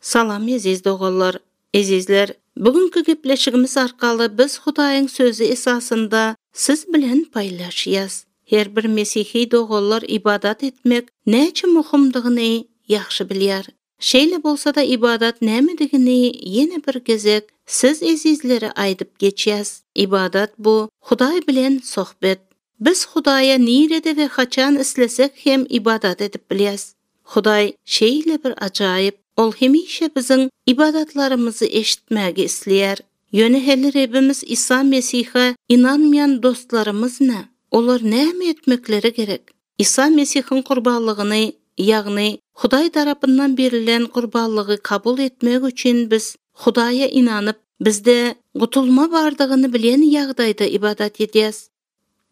Salam aziz do'g'illar, azizlar. Bugungi gepleşigimiz arqalı biz Xudoying sözü esasında siz bilen paylaşıyaz. Her bir Mesihi do'g'illar ibadat etmek neçe muhimdigini yaxşı bilýär. Şeýle bolsa da ibadat nämedigini ýene bir gezek siz azizlere aýdyp geçýäs. Ibadat bu Xudoy bilen sohbet. Biz Xudoya nirede we haçan islesek hem ibadat edip bilýäs. Xudoy şeýle bir ajaýyp, ol hemişe bizim ibadatlarımızı eşitmäge isleýär. Ýöne heli Rabbimiz İsa Mesih'e inanmayan dostlarımız ne? Olar näme etmekleri gerek? İsa Mesih'in qurbanlygyny, ýagny Xudoy tarapyndan berilen qurbanlygy kabul etmek üçin biz Xudoya inanyp, bizde gutulma bardygyny bilen ýagdaýda ibadat edýäs.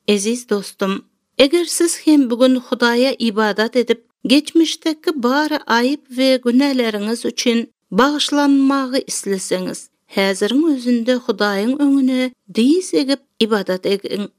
Aziz dostum, eger siz hem bugün Xudoya ibadat edip, geçmişdeki bari ayıp ve günahlarınız üçün bağışlanmağı isleseňiz, häzirin özünde Xudoyň öňüne diz egip ibadat edin.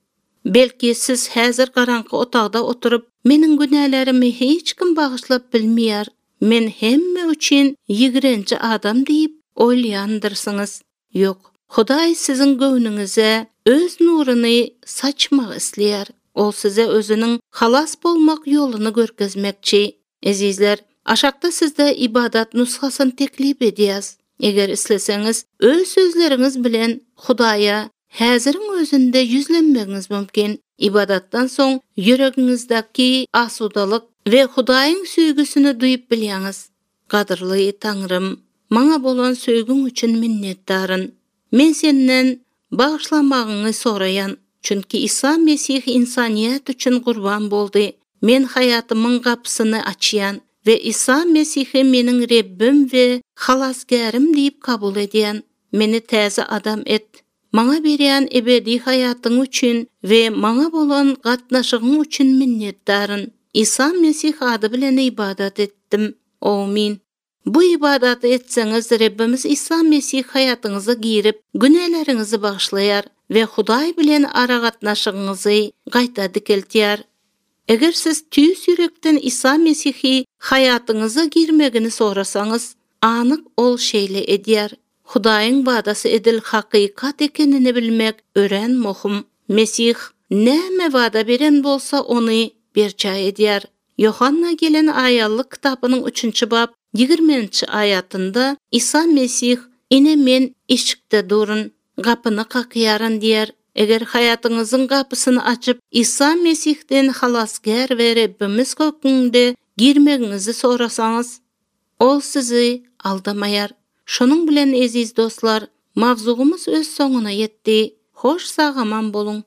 Belki siz häzir garaňky otagda oturup, meniň günahlarymy hiç kim bağışlap bilmeýär, men hemme üçün ýigrençi adam diýip oýlaýandyrsınız. Ýok, Xudoy siziň göwnüňize öz nuruny saçmak isleýär. O size özünün halas bolmak yolunu görkezmekçi. Azizler, aşakta sizde ibadat nuskhasyny teklip edýäs. Eger isleseňiz, öz sözleriňiz bilen Xudoya häzirin özünde yüzlenmegiňiz mümkin. İbadatdan soň ýüregiňizdäki asudalyk we Xudoyň süýgüsini duýup bilýäňiz. Gadyrly Taňrym, maňa bolan söýgüň üçin minnetdaryn. Men senden bağışlamagyňy soraýan. Çünkü İsa Mesih insaniyet üçün qurban boldy. Men hayatımın kapısını açyan ve İsa Mesih'i menin Rabbim ve halasgarim deyip kabul edýän. Meni täze adam et. Maňa berýän ebedi hayatyň üçün ve maňa bolan gatnaşygyň üçün minnetdaryn. İsa Mesih ady bilen ibadat etdim. Amin. Bu ibadatı etseňiz Rabbimiz İsa Mesih hayatyňyza girip, günahlarınızı bağışlaýar ve Xudoy bilen ara gatnaşygyňyzy gaýta dikeltýär. Eger siz tüýs ýürekden İsa Mesih'i hayatyňyza girmegini sorasaňyz, anyk ol şeýle edýär. Xudoyň badasy edil hakykat ekenini bilmek ören muhim. Mesih näme wada beren bolsa ony berçä edýär. Yohanna gelen aýallyk kitabynyň 3-nji bab 20-nji ayatynda İsa Mesih "Ine men eşikde durun, gapyny kakýaryn" diýär. Eger hayatyňyzyň gapysyny açyp İsa Mesihden halasgar we Rabbimiz kökünde girmegiňizi sorasaňyz, ol sizi aldamaýar. Şonuň bilen aziz dostlar, mawzugymyz öz soňuna ýetdi. Hoş sagaman bolun.